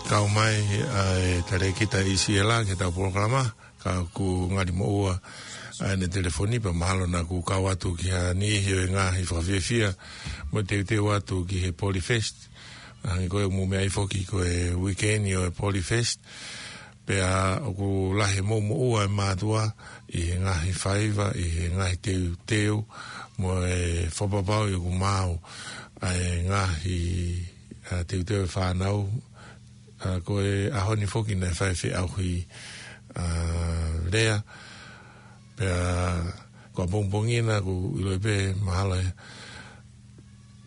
kau mai ʻa e talēkita ʻIsiela ki heʻetau polokalama, ka kuo ngali moʻua ʻa ʻene telefoni, pea mahalo naʻa ku kau atu ki ha niʻihi ʻo e ngaahi fakafiefia mo e teuteu atu ki he Polyfest. Hangē ko e mou meaʻi foki ko e weekend ʻo e Polyfest. Pea ʻoku lahi e moʻumoʻua ʻa e mātuʻa ʻi he ngaahi faiva, ʻi he ngaahi teuteu, mo e fakapapauʻi ʻoku maau ʻa e ngaahi, ʻa, teuteu ʻa e fānau. ʻA, ko e ʻaho ni foki naʻe fai e feʻauhi, ʻa, lea. Pea ko ʻapongipongi naʻa ku ʻilo pē mahalo ē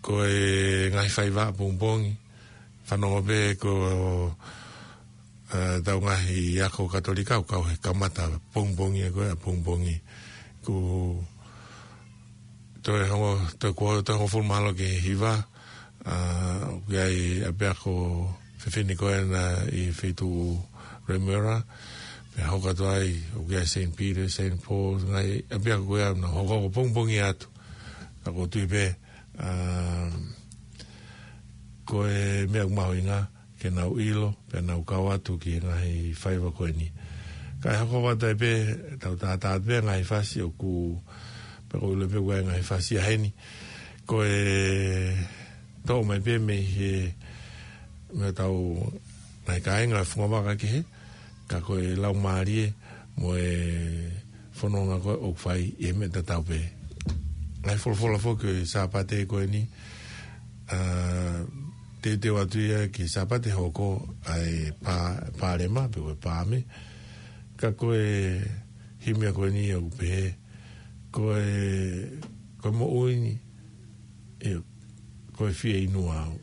ko e ngaahi faiva ʻapongipongi. Fanongo pē ko, ʻa, ʻetau ngaahi ako Katolika ʻoku kau he kamata pongipongi ē ko e ʻapongipongi. Ko toe hongofulu, toe kuo toe hongofulu mahalo ki he hiva, ʻa, ʻoku ʻi ai ʻapiako fefine ko ena ʻi he feituʻu Remuera, pea hoko atu ai, ʻoku ʻi ai Saint Peter, Saint Paul, ngaahi ʻapiako ko ia naʻa hoko ko pongipongi atu. Ka ʻoku ou tui pē, ʻa, ko e meʻa ʻoku mahuʻinga ke nau ʻilo, pea nau kau atu ki he ngaahi faiva ko eni. Kae hoko atu ai pē, tau tātā pē ngaahi fasi ʻoku, pea ʻoku ou ʻilo pē ʻoku ʻi ai ngaahi fasi ʻa heni. Ko e toʻo mai pē mei he, mei heʻetau ngaahi kāinga fungavaka kehe, ka ko e laumālie mo e fononga ko ē ʻoku fai ʻi he meʻa tatau pē. Ngaahi folofola foki ʻo e Sāpate ko eni, ʻa, teuteu atu ia ki he Sāpate hoko ʻa e pā-, pālema, pe ko e pāme. Ka ko e himi ko eni ʻoku pehē, ko e, ko e moʻui ni, ʻio, ko e fieinua au.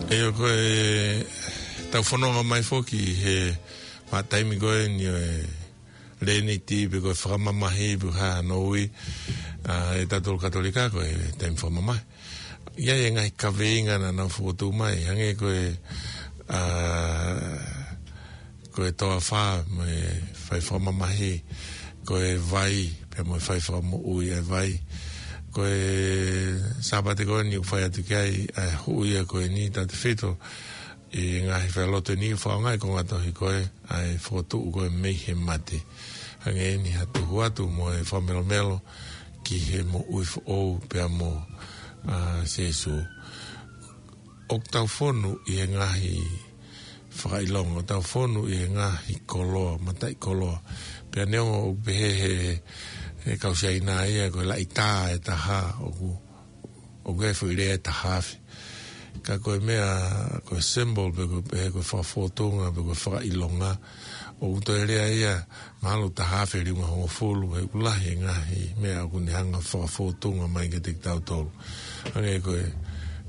ʻIo, ko e tau fononga mai foki he ma taimi ko eni ʻo e leniti pe ko e fakamamahi pe ko e hā hano ui, ʻa, ʻe tautolu Katolika ko e taimi fakamamahi. ʻI ai e ngaahi kaveinga naʻa nau fokotuʻu mai, hangē ko e, ʻa, ko e toafa mo e fai fakamamahi, ko e vai, pea mo e fai fakamoʻui ʻa e vai. Ko e Sāpate ko eni ʻoku fai atu ki ai ʻa e huʻi ia ko eni tautefito ʻi he ngaahi failotu ni ʻoku fakaʻaongaʻi ko e ngaahi tohi ko ē ʻa e fokotuʻu ko ē mei he mate. Hangē ni ha tuhu atu mo e fakamelomelo ki he moʻui foʻou pea mo, ʻa, Sīsū. ʻoku tau fonu ʻi he ngaahi fakaʻilonga, ʻoku tau fonu ʻi he ngaahi koloa, mataʻikoloa. Pea neongo ʻoku pehē he, he kau Siaina ia, ko e laʻitā ʻe taha, ʻoku, ʻoku ʻi ai e foʻi lea ʻe taha afe. Ka ko e meʻa, ko e symbol, pe ko e, pe ko e fakafōtunga, pe ko e fakaʻilonga, ʻoku toe lea ia, mahalo taha afe liunga hongofulu, he ʻoku lahi e ngaahi meʻa ʻoku ne hanga fakafōtunga mai kiate kitautolu. Hangē ko e,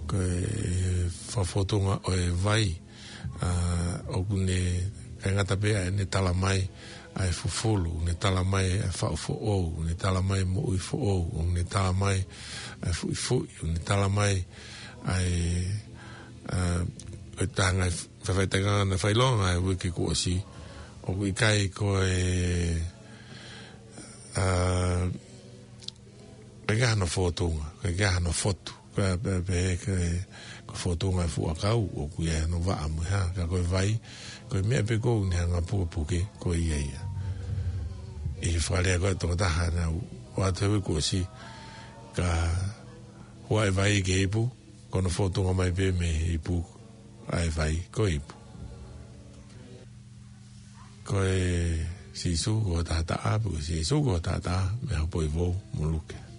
ko e fakafōtunga ʻo e vai, ʻa, ʻoku ne, ʻikai ngata pē ʻene tala mai ʻa e fufulu, ʻoku ne tala mai ʻa e faʻu foʻou, ʻoku ne tala mai moʻui foʻou, ʻoku ne tala mai ʻa e fuʻifuʻi, ʻoku ne tala mai ʻa e, ʻa, ʻo e taha e ngaahi faʻifaʻitakiʻanga naʻe fai ʻi he uike kuo ʻosi, ʻoku ʻikai ko e, ʻa, ʻikai ke ʻi ai hano fōtunga, ʻikai ke ʻi ai hano fotu, pea, pea, pea, ke, ko e fōtunga e fuʻu ʻakau, ʻoku ʻi ai hano vaʻa mo e hā, ka ko e vai, ko e meʻa pē ʻoku ne hanga pukepuke, ko ia ia. ʻI he fakalea ko e tokotaha naʻa ku ʻoatu he uike kuo ʻosi, ka hua e vai ki he ipu, ko hono fōtunga mai pē mei he ipu, ʻa e vai ko e ipu. Ko e Sīsū ko e taʻataʻa, pe ko e Sīsū ko e taʻataʻa, mei Haʻapai Vou mo Luke.